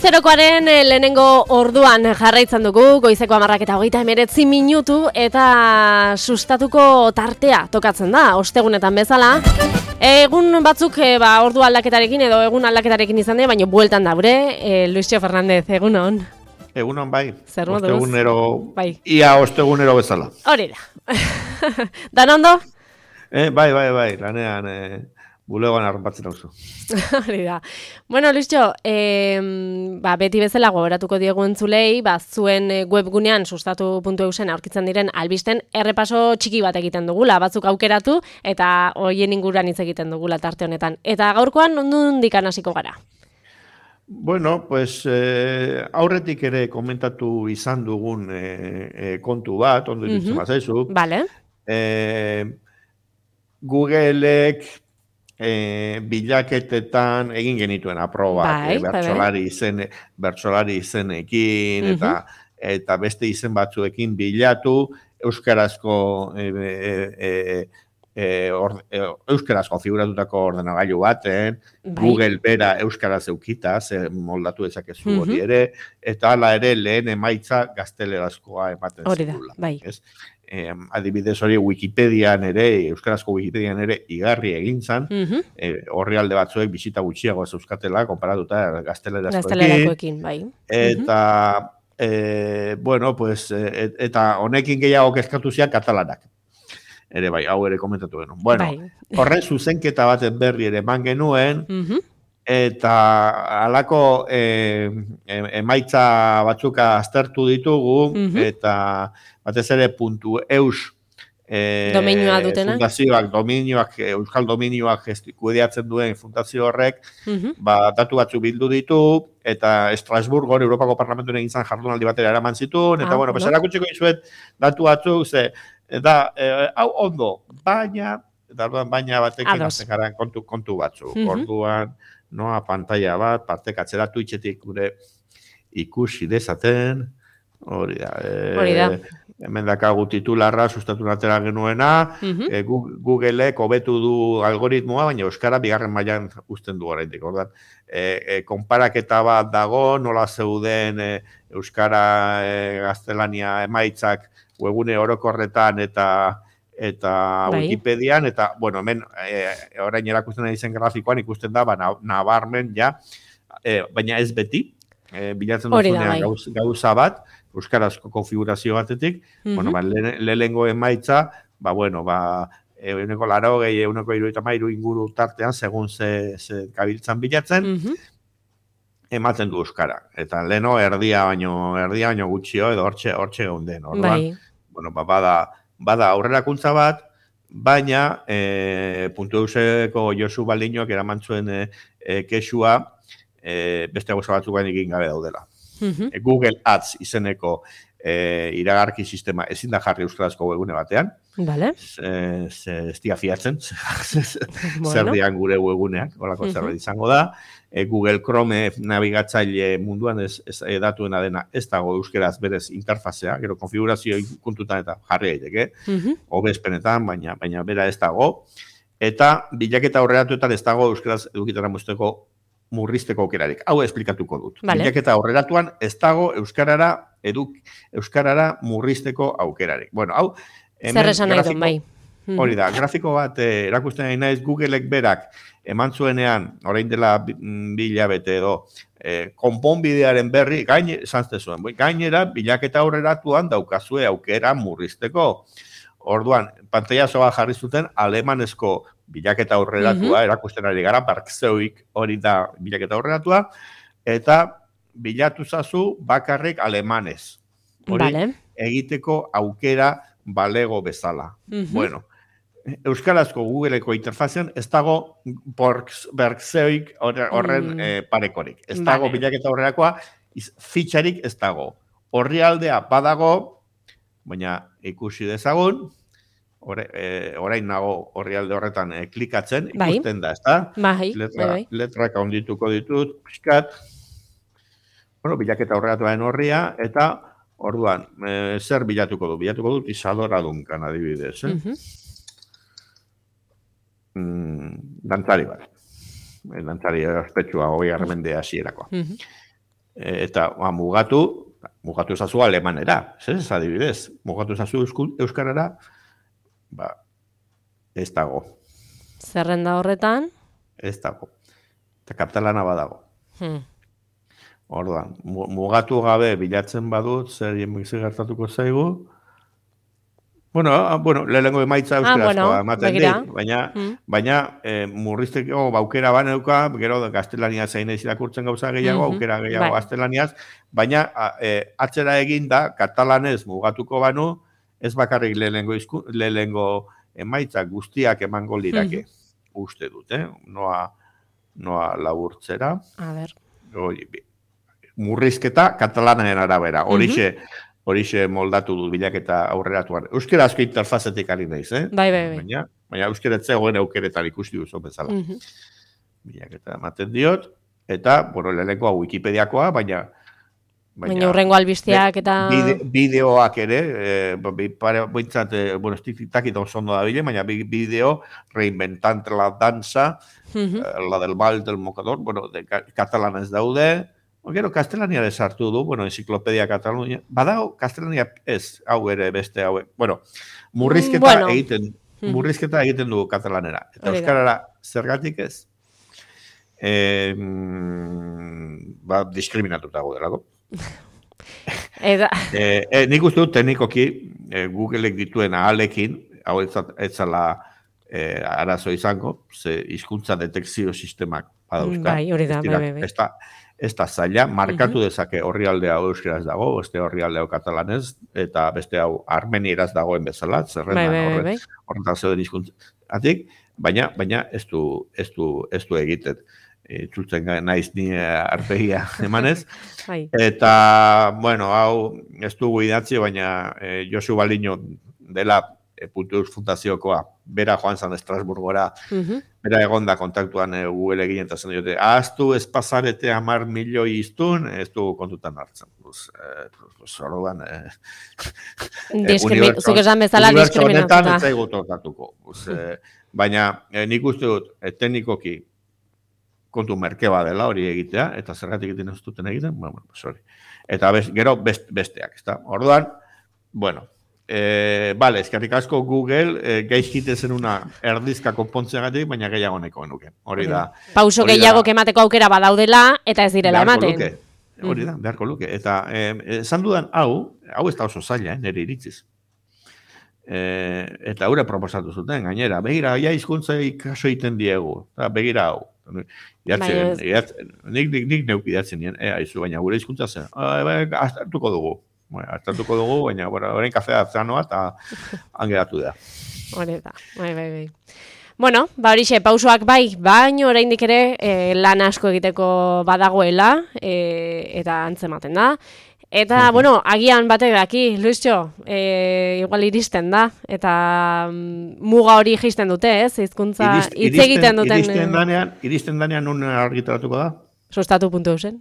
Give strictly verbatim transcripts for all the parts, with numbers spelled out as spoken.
Goizerokoaren lehenengo orduan jarraitzen dugu, goizeko hamarrak eta hogeita hemeretzi minutu eta sustatuko tartea tokatzen da, ostegunetan bezala. Egun batzuk e, ba, ordu aldaketarekin edo egun aldaketarekin izan dira, baina bueltan daure, e, Luisio Fernandez, egunon. Egunon bai, Zer moduz? ostegunero, bai. Ia ostegunero bezala. Hori da. Dan ondo? Eh, bai, bai, bai, lanean eh, bulegoan arropatzen hauzu. Hori da. Bueno, Luisio, eh, ba, beti bezala gogoratuko diegu entzulei, ba, zuen webgunean sustatu puntu eusen aurkitzen diren albisten errepaso txiki bat egiten dugula, batzuk aukeratu eta hoien inguruan hitz egiten dugula tarte honetan. Eta gaurkoan nondik hasiko gara? Bueno, pues eh, aurretik ere komentatu izan dugun eh, eh, kontu bat, ondo iruditzen uh-huh. bazaizu. Vale. Eh, Googleek eh, bilaketetan egin genituen aprobak, bai, eh, bertsolari izen, bertsolari izenekin, uh-huh. eta, eta beste izen batzuekin bilatu, euskarazko eh, eh, eh, E, or, e, euskaraz konfiguratutako ordenagailu baten, bai. Google bera euskaraz eukita, ze moldatu dezakezu uh-huh. hori ere, eta hala ere lehen emaitza gaztelerazkoa ematen zigula. Bai. E, adibidez hori Wikipedian ere, euskarazko Wikipedian ere igarri egin zan, uh-huh. e, horri alde batzuek bisita gutxiago ez euskatela, konparatuta gaztelerazkoekin. Bai. Eta, uh-huh. e, bueno, pues, e, eta honekin gehiago kezkatu zian katalanak. Ere bai, hau ere komentatu genuen. Bueno, bai. Horren zuzenketa baten berri ere eman genuen, uh-huh. eta halako e, emaitza batzuka aztertu ditugu, uh-huh. eta batez ere puntu eus e, dominioa dutenak. Fundazioak, dominioak, euskal dominioak kudeatzen duen fundazio horrek, uh-huh. ba, datu batzu bildu ditu, eta Estrasburgon, Europako Parlamentuan egin zan jardunaldi batera eraman zituen, eta ah, bueno, no? Erakutsiko izuet datu batzuk, ze, eta eh, hau ondo, baina, eta orduan baina batekin azten garen kontu, kontu batzu. Uh-huh. Orduan, noa pantalla bat, partek atzera Twitchetik gure ikusi dezaten, hori da. Eh, hori da. Hemen dakagu titularra sustatu atera genuena, uh-huh. eh, Googleek hobetu du algoritmoa, baina euskara bigarren mailan uzten du oraindik. Orduan, eh, eh, konparaketa bat dago, nola zeuden eh, euskara eh, gaztelania emaitzak webune orokorretan eta eta bai. Wikipedian, eta, bueno, hemen e, orain erakusten ari zen grafikoan ikusten da, ba, nabarmen, ja, e, baina ez beti, e, bilatzen duzunean gauz, gauza bat, euskarazko konfigurazio batetik, uh-huh. bueno, ba, le, lehengo emaitza, ba, bueno, ba, euneko laro gehi, euneko iruita mairu inguru tartean, segun ze, ze kabiltzan bilatzen, uh-huh. ematen du euskara. Eta leno erdia baino, erdia baino gutxio, edo hortxe, hortxe geunden. Orduan, bai. Bueno, ba, bada, bada aurrerakuntza bat, baina e, puntu euseko Josu Baldinoak eraman zuen e, e, kexua e, beste gauza batzukan egin gabe daudela. Uh-huh. E, Google Ads izeneko e, iragarki sistema ezin da jarri euskarazko webgune batean. Vale. Ez dira fiatzen, zer dian gure webguneak, horako uh-huh. zerbait izango da. E, Google Chrome nabigatzaile munduan ez, ez edatuena dena ez dago euskeraz berez interfazea, gero konfigurazio kontutan eta jarri daiteke, uh-huh. hobespenetan, baina, baina bera ez dago. Eta bilaketa aurreratuetan ez dago euskeraz edukitara muzteko murrizteko aukerarik. Hau esplikatuko dut. Vale. Bilaketa aurreratuan ez dago euskarara eduk, euskarara murrizteko aukerarik. Bueno, hau zer esan nahi duen, bai. Hori da, grafiko bat eh, erakusten nahi naiz Googleek berak eman zuenean, orain dela bi hilabete edo, eh, konponbidearen berri, gain, zantzte zuen, gainera, bilaketa aurreratuan daukazue aukera murrizteko. Orduan, pantailazo bat jarri zuten alemanezko bilaketa aurreratua, uh-huh. erakusten ari gara, Barkzeuik hori da bilaketa aurreratua, eta bilatu zazu bakarrik alemanez. Hori vale. Egiteko aukera balego bezala. Uh-huh. Bueno, euskarazko Googleeko interfazean ez dago Berkzeuik horren mm. eh, parekorik. Ez vale. Dago bilaketa aurrerakoa, fitxarik ez dago. Horri aldea badago, baina ikusi dezagun, ore, e, orain nago horri alde horretan e, klikatzen, ikusten bai. Da, ez da? Bai, Letra, bai. Letrak handituko ditut, pixkat, bueno, bilaketa aurreratuaren horria, eta orduan, e, zer bilatuko du? Bilatuko dut Isadora Duncan, adibidez, eh? Uh-huh. Mm, dantzari bat. Dantzari ospetsua hogei garren mende hasierakoa. Uh-huh. eta ba, mugatu, mugatu ezazu alemanera, ez adibidez, mugatu ezazu euskarara, ba, ez dago. Zerrenda horretan? Ez dago. Eta katalana badago. Hmm. Orduan, mugatu gabe bilatzen badut, zer gertatuko zaigu. Bueno, bueno, lehenengo emaitza euskarazkoa ah, bueno, ematen dit, baina, hmm. baina eh, murrizteko baukera baneuka, gero gaztelania zein ez irakurtzen gauza gehiago, mm-hmm. aukera gehiago bai. Gaztelaniaz, baina eh, atzera eginda, katalanez mugatuko banu, ez bakarrik lehenengo, izku, lehenengo emaitza guztiak emango lirake, mm-hmm. uste dut, eh? Noa, noa laburtzera. A ber. Oi, murrizketa katalanaren arabera, horixe, mm-hmm. horixe moldatu du bilaketa aurreratuan. Euskera asko interfazetik ari naiz, eh? Bai, bai, bai. Baina, baina euskera etzegoen aukeretan ikusti duzu bezala. Mm-hmm. Bilaketa ematen diot, eta, bueno, lehenenkoa Wikipediakoa, baina... Baina urrengo albisteak eta... Bide, bideoak ere, eh, pare, bointzat, eh, bueno, estikit oso ondo da bile, baina bideo reinventante la danza, mm-hmm. eh, la del bal del mocador, bueno, de katalanez daude, gero, kastelania desartu du, bueno, enciklopedia Katalunia, badago, kastelania ez, hau ere beste hau, bueno, murrizketa bueno. egiten, murrizketa egiten du katalanera. Eta Olida. Euskarara zergatik ez, eh, ba, diskriminatuta delako. Eda. eh, eh, nik uste dut teknikoki, eh, Googleek dituen ahalekin, hau ez zala eh, arazo izango, ze hizkuntza detekzio sistemak badauzka. Bai, hori da, bai, bai, bai. Ez da zaila, markatu uh-huh. dezake orrialdea euskeraz dago, beste orrialdea katalanez, eta beste hau armenieraz dagoen bezala, zerrendan bai, bai, bai. horretan zeuden hizkuntzatik, baina, baina ez du, ez du, ez du egiten. Itzultzen naiz ni arpegia emanez. Bai. Eta, bueno, hau ez dugu idatzi, baina eh, Josu Baliño dela e, Puntus Fundaziokoa, bera joan zan Estrasburgora, uh-huh. bera egonda kontaktuan e, Google egin eta zen diote, ahaztu ez pasarete amar milioi iztun, ez du kontutan hartzen. Pues, eh, pues, orduan, eh, Diskrimi- zuk esan bezala diskriminatuta. Unibertso ez zaigu tokatuko. Pues, eh, baina eh, nik uste dut, eh, teknikoki, kontu merkeba dela hori egitea, eta zergatik egiten ez duten egiten, bueno, pues hori. Eta bez, gero best, besteak, ezta? Orduan, bueno, eh, vale, eskerrik asko Google, eh, gaizkite zen una erdizka konpontzeagatik, baina gehiago neko nuke. Hori da. Pauso hori gehiago da, kemateko aukera badaudela, eta ez direla ematen. Luke. Hori da, beharko luke. Eta, eh, esan dudan, hau, hau ez da oso zaila, eh, nire iritziz. Eh, eta haure proposatu zuten, gainera, begira, ja hizkuntza ikaso egiten diegu, eta begira hau. Idatzen, idatzen, nik, nik, nik neuk idatzen nien, eh, aizu, baina gure hizkuntza zen, aztertuko dugu, bueno, aztertuko dugu, baina orain kafea atzanoa eta angeratu da. Hore da, bai, bai, bai. Bueno, ba horixe, pausoak bai, baino oraindik ere eh, lan asko egiteko badagoela, eh, eta antzematen da. Eta, uh-huh. bueno, agian batek daki, Luisio, e, igual iristen da, eta mm, muga hori jaisten dute, ez? Hizkuntza hitz egiten duten. Iristen danean, iristen danean nun argitaratuko da? Sustatu puntu zen.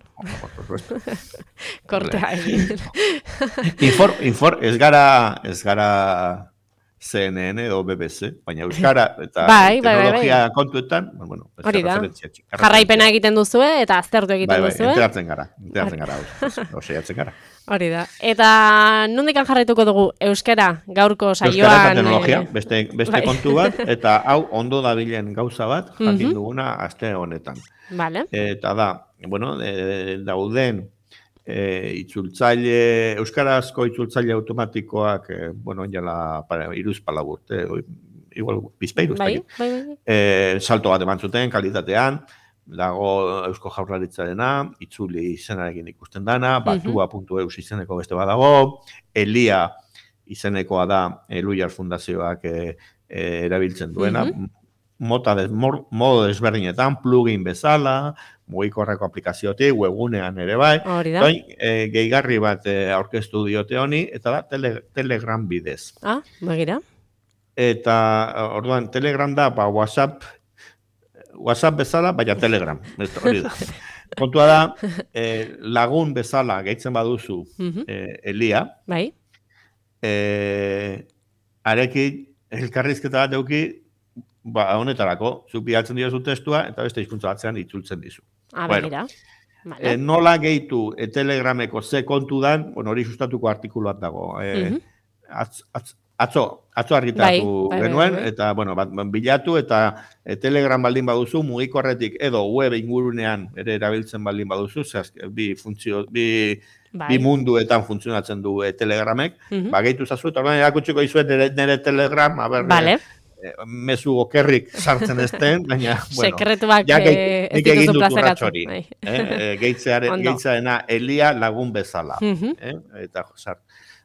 Kortea egin. Infor, infor, ez gara, ez gara C N N edo B B C, baina euskara eta bai, teknologia bai, bai. kontuetan, bueno, hori da. Jarraipena egiten duzue eta aztertu egiten bai, bai, duzue. Enteratzen gara, enteratzen gara, oseiatzen gara. Hori da. Eta nondikan jarraituko dugu euskara gaurko saioan? Euskara eta teknologia, beste, beste bai. kontu bat, eta hau ondo dabilen gauza bat, jakin uh-huh. duguna aste honetan. Vale. Eta da, bueno, e, dauden e, itzultzaile, euskarazko itzultzaile automatikoak, e, bueno, jala iruz palagurte, igual bizpeiruz. Bai, bai, bai. E, salto bat eman zuten, kalitatean, dago Eusko Jaurlaritzarena, itzuli izenarekin ikusten dana, batua puntu eus izeneko beste badago, Elia izenekoa da Eluiar Fundazioak e, e, erabiltzen duena, uh-huh. mota des, mor, modo desberdinetan, plugin bezala, mugikorreko aplikaziotik, webgunean ere bai. Toin, e, gehigarri bat e, aurkeztu diote honi, eta da tele, Telegram bidez. Ah, begira. Eta orduan Telegram da, ba, WhatsApp, WhatsApp bezala, baina Telegram. Hori da. Kontua da, e, lagun bezala gehitzen baduzu uh-huh. e, Elia. Bai. E, arekin elkarrizketa bat euki, ba, honetarako, zu bilatzen diozu testua, eta beste hizkuntza batzean itzultzen dizu. Ah, bueno, Vale. E, nola gehitu e, Telegrameko ze kontu dan, bueno, hori sustatuko artikuluat dago. E, uh -huh. atz, atz, atzo, atzo argitaratu bai, genuen, bai, bai, bai. Eta, bueno, bat, bilatu, eta e, Telegram baldin baduzu, mugikorretik edo web ingurunean ere erabiltzen baldin baduzu, zehaz, bi funtzio, bi... Bai. Bi munduetan funtzionatzen du e, Telegramek, uh -huh. ba, gehitu zazu, eta orduan erakutsiko izuen nire, nire Telegram, a ber, vale. e, mezu okerrik sartzen ezten, baina, bueno, sekretuak ja, eh, ez dituzu plazaratzen. Eh, e, Gehitzearena Elia lagun bezala. Uh -huh. eh? Eta sar,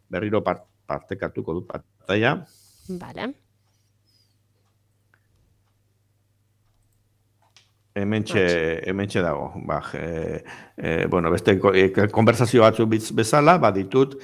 berriro part, partekatuko dut pantalla. Vale. Hementxe, hementxe dago. Ba, e, e, bueno, beste konversazio batzu bezala, baditut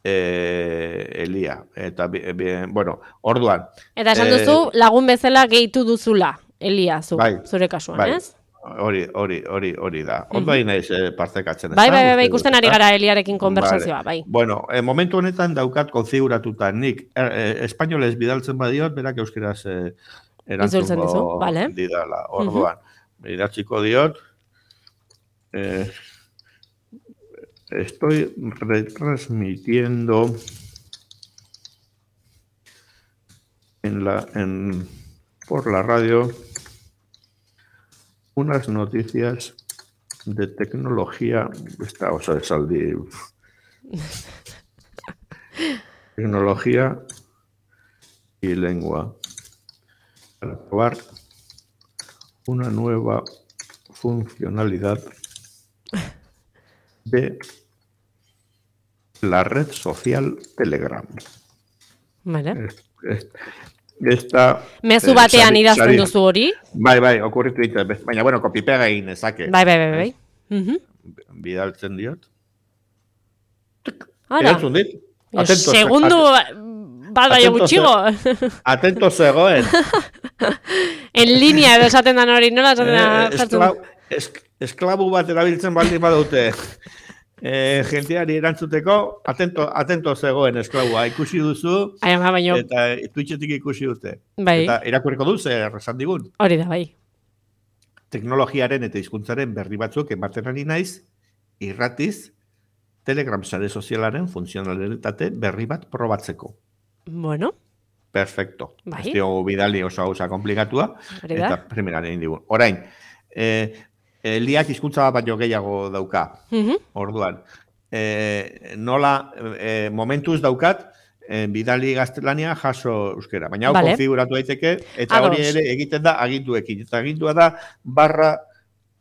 e, Elia. Eta, bi, bueno, orduan. Eta esan duzu, e, lagun bezala gehitu duzula, Elia, zu, bai, zure kasuan, bai. ez? Hori, hori, hori, hori da. Ondo hain naiz eh, partekatzen. Bai, bai, bai, bai, ikusten ari gara Eliarekin konversazioa, bai. Bueno, eh, momentu honetan daukat konfiguratuta nik eh, espainolez bidaltzen badiot, berak euskeraz eh, erantzungo vale. Didala. Orduan, uh -huh. idatziko diot, eh, estoy retransmitiendo en la, en, por la radio unas noticias de tecnología, esta, o sea, de saldi, tecnología y lengua, para probar una nueva funcionalidad de la red social Telegram. Vale. Esta, mezu batean eh, idazten duzu hori? Bai, bai, okurritu ditu. Baina, bueno, kopipega egin ezake. Bai, bai, bai, bai. Uh -huh. Bidaltzen diot. Ara. Erantzun dit. Atento. Segundu, bat baina gutxigo. Atento zegoen. En línea edo esaten dan hori, nola esaten da? Eh, esklabu, esk, esklabu bat erabiltzen baldin badute. Eh, jenteari erantzuteko, atento, atento zegoen esklabua, ikusi duzu, Ai, ama, baino. Eta Twitchetik ikusi dute. Bai. Eta irakurriko du, zer esan digun. Hori da, bai. Teknologiaren eta hizkuntzaren berri batzuk ematen ari naiz, irratiz, Telegram sare sozialaren funtzionalitate berri bat probatzeko. Bueno. Perfecto. Bai. Ez diogu bidali oso gauza komplikatua, eta primeran egin digun. Orain, eh, Eliak hizkuntza bat baino gehiago dauka. Uh -huh. Orduan, e, nola e, momentuz daukat e, bidali gaztelania jaso euskera. Baina hau vale. Konfiguratu daiteke eta Ados. Hori ere egiten da aginduekin. Eta agindua da barra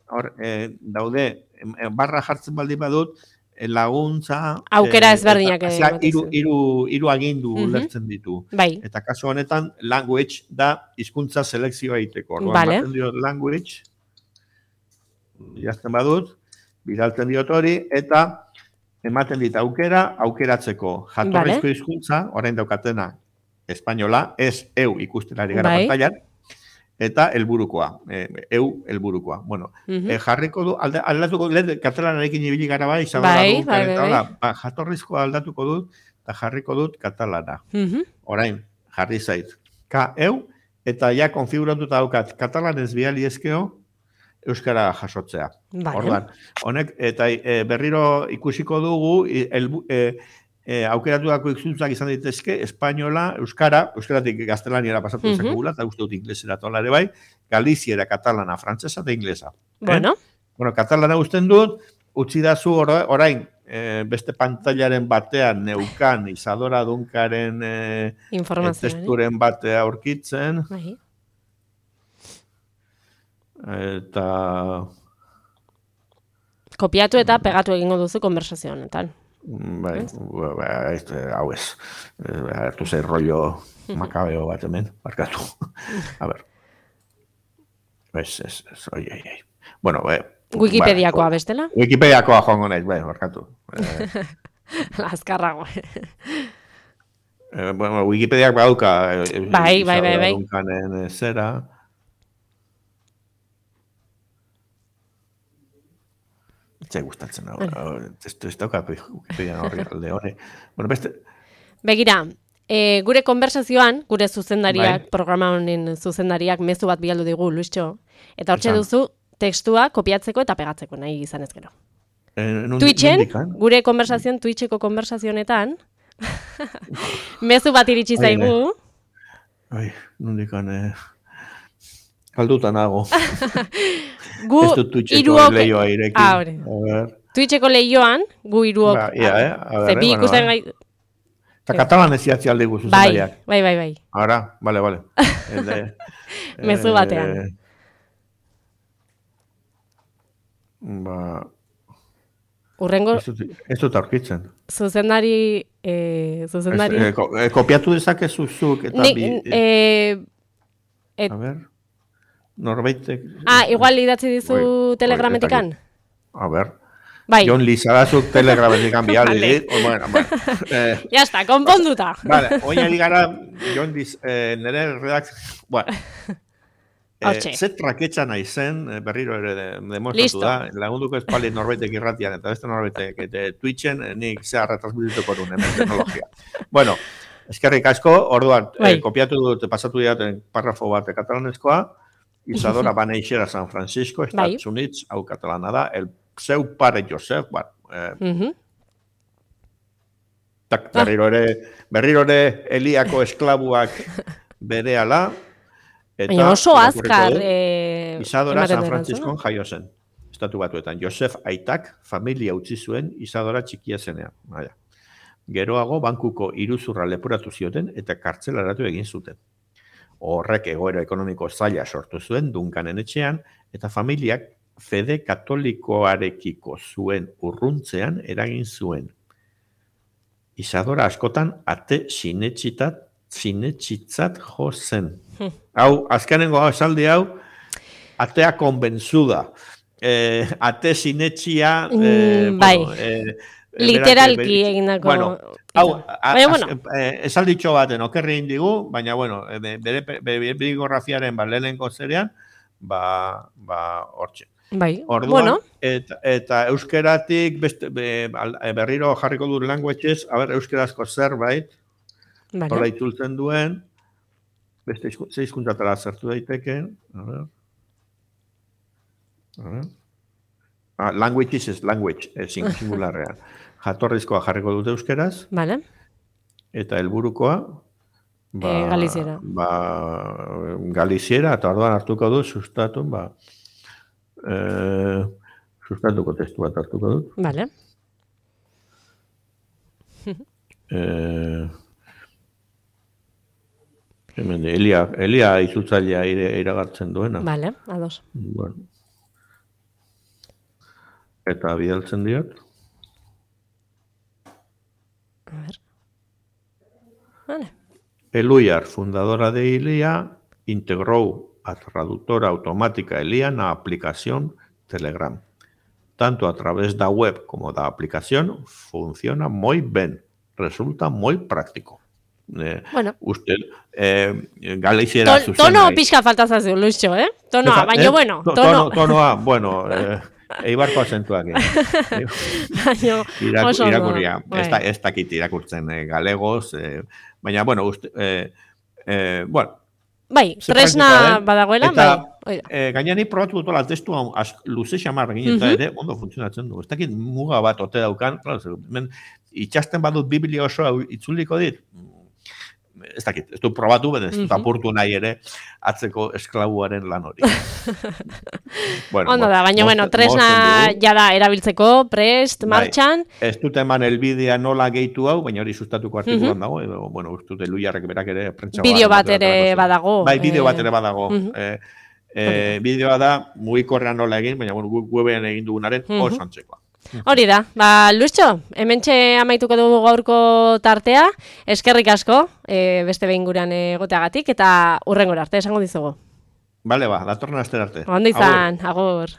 hor, e, daude barra jartzen baldin badut laguntza aukera ezberdinak ere. Hiru hiru hiru agindu uh -huh. lertzen ditu. Bai. Eta kasu honetan language da hizkuntza selekzioa egiteko. Orduan vale. Baten dio language jazten badut, bidaltzen diot hori, eta ematen dit aukera, aukeratzeko jatorrizko vale. Hizkuntza, orain daukatena, espainola, ez eu ikusten ari gara bai. Pantailan, eta helburukoa, e, eu helburukoa. Bueno, uh -huh. e, jarriko du, alda, aldatuko, lehen katalanarekin ibili gara bai, bai, bai, bai, bai. Ba, jatorrizkoa aldatuko dut, eta jarriko dut katalana. Uh -huh. Orain, jarri zait. Ka, eu, eta ja konfiguratuta daukat, katalanez bihali ezkeo, euskara jasotzea. Vale. Orduan, honek, eta e, berriro ikusiko dugu, el, e, e, aukeratutako hizkuntzak izan daitezke, espainola, euskara, euskaratik gaztelaniera pasatu uh -huh. zakegula, eta uste dut inglesera tolare bai, galiziera, katalana, frantzesa eta inglesa. Bueno. Eh? Bueno, katalana usten dut, utzi dazu orain, e, beste pantailaren batean, neukan, Isadora Dunkaren e, e, testuren batea aurkitzen. Bai. Eta kopiatu eta pegatu egingo duzu konversazio honetan. Bai, bai, hau ez. Hartu zei rollo makabeo bat hemen, barkatu. A ber. Ez, ez, ez, oi, oi, oi. Bueno, bai. Wikipediakoa bestela? Wikipediakoa joango nahiz, bai, barkatu. Azkarrago. Bueno, Wikipediak bauka. Bai, bai, bai, bai. Dunkanen zera. Zai gustatzen hau. Testu ez dauka Wikipedia horri alde hori. Bueno, beste... Begira, e, gure konversazioan, gure zuzendariak, bai. Programa honen zuzendariak mezu bat bialdu digu, Luisxo. Eta hortxe duzu, tekstua kopiatzeko eta pegatzeko nahi izan ez gero. Eh, Twitchen, gure konversazioan, Twitcheko konversazionetan, mezu bat iritsi zaigu. Ai, nondikan, eh, kalduta nago. Gu iruok... leioa ireki. Ah, hori. Twitcheko leioan, gu iruok... Ba, ia, eh? A Ze bi ikusten gai... Eta katalan ez iatzi alde guzu bai, bai, bai, bai. Ara, bale, bale. Mezu batean. Ba... Urrengo... Ez dut aurkitzen. Zuzendari... Eh, zuzendari... Es, eh, ko, eh, kopiatu dezakezu zuk eta Ni, bi... Eh, et... A ber... Norbaitek... Ah, igual idatzi dizu oi, telegrametikan? A ber... Bai. Jon Lizarazuk telegrametikan bihali dit. Bueno, bueno. Eh, ya está, konponduta. Vale, oin eligara, Jon Liz... Eh, nire redak... Bueno... Eh, zet raketxa nahi zen, berriro ere demostratu da, lagunduko espali norbaitek irratian, eta beste norbaitek eta Twitchen, nik zea retransmituko duen, hemen teknologia. Bueno, eskerrik asko, orduan, eh, kopiatu dut, pasatu diaten parrafo bat katalanezkoa, Isadora Baneixera San Francisco, Estados Unidos, hau katalana da, el seu pare Josep, bat, eh, uh -huh. tak, berriro ere, berriro ere Eliako esklabuak berehala, baina oso azkar... Eh, Isadora San Franciscon jaio zen. Estatu batuetan. Josef aitak familia utzi zuen Isadora txikia zenean. Baina. Geroago bankuko iruzurra leporatu zioten eta kartzelaratu egin zuten. Horrek egoera ekonomiko zaila sortu zuen Duncanen etxean eta familiak fede katolikoarekiko zuen urruntzean eragin zuen. Isadora askotan ate sinetxitat sinetxitzat jo zen. Hau, azkenengo esaldi hau, atea konbentzuda. Eh, ate sinetxia... Eh, mm, bai, bueno, eh, literalki egindako... Bueno, hau, bueno. Eh, esalditxo baten okerri indigu, baina, bueno, bere bibliografiaren ba, lehenengo zerean, ba, ba, hortxe. Bai, orduan, bueno. Eta, eta euskeratik, beste, be, berriro jarriko du languages, a ber, euskerazko zerbait, vale. Hola itultzen duen, beste zeizkuntzatara zertu daiteke. A ver. A ver. Ah, languages is language, ezin singularrean. Jatorrizkoa jarriko dute euskeraz. Vale. Eta helburukoa ba, eh, galiziera. Ba, galiziera, eta orduan hartuko dut, sustatu, ba, eh, sustatuko testu bat hartuko dut. Vale. eh, Hemen, Elia, Elia izutzailea iragartzen duena. Vale, ados. Bueno. Eta bidaltzen diot. A ver. Vale. Eluiar, fundadora de Ilia, integró a traductora automática Elia en la aplicación Telegram. Tanto a través da web como da aplicación, funciona muy bien. Resulta muy práctico. Eh, bueno. Usted, eh, galiziera Ton, tono pixka falta zazu, Luixo, eh? Tonoa, baina eh? bueno, tono. Tono, tonoa, bueno, eh, eibarko azentuak. Eh. Iraku, irakurria, ez da, ez dakit irakurtzen eh, galegoz, eh, baina, bueno, uste, eh, eh, bueno. Bai, tresna badagoela, bai. Eh, Gainani probatu dutola testu luze xamar egin eta ere, ondo funtzionatzen du. Ez dakit muga bat ote daukan, claro, itxasten badut Biblia osoa itzuliko dit, ez dakit, ez du probatu, ez dut apurtu nahi ere atzeko esklabuaren lan hori. bueno, Ondo da, baina, bueno, tresna jada erabiltzeko, prest, martxan. Bai, ez dut eman elbidea nola gehitu hau, baina hori sustatuko artikulan dago, edo, bueno, ez dut eluiarrek berak ere prentsa bideo bat ere badago. Bai, bideo bat ere badago. eh, eh, bideoa da, mugikorrean nola egin, baina, bueno, webean egin dugunaren oso antzekoa. Hori da, ba, Luixo, hementxe amaituko dugu gaurko tartea, eskerrik asko, e, beste behin gurean egoteagatik, eta hurrengora arte, esango dizugu. Bale, ba, datorren aster arte. Ondo izan, agur. agur.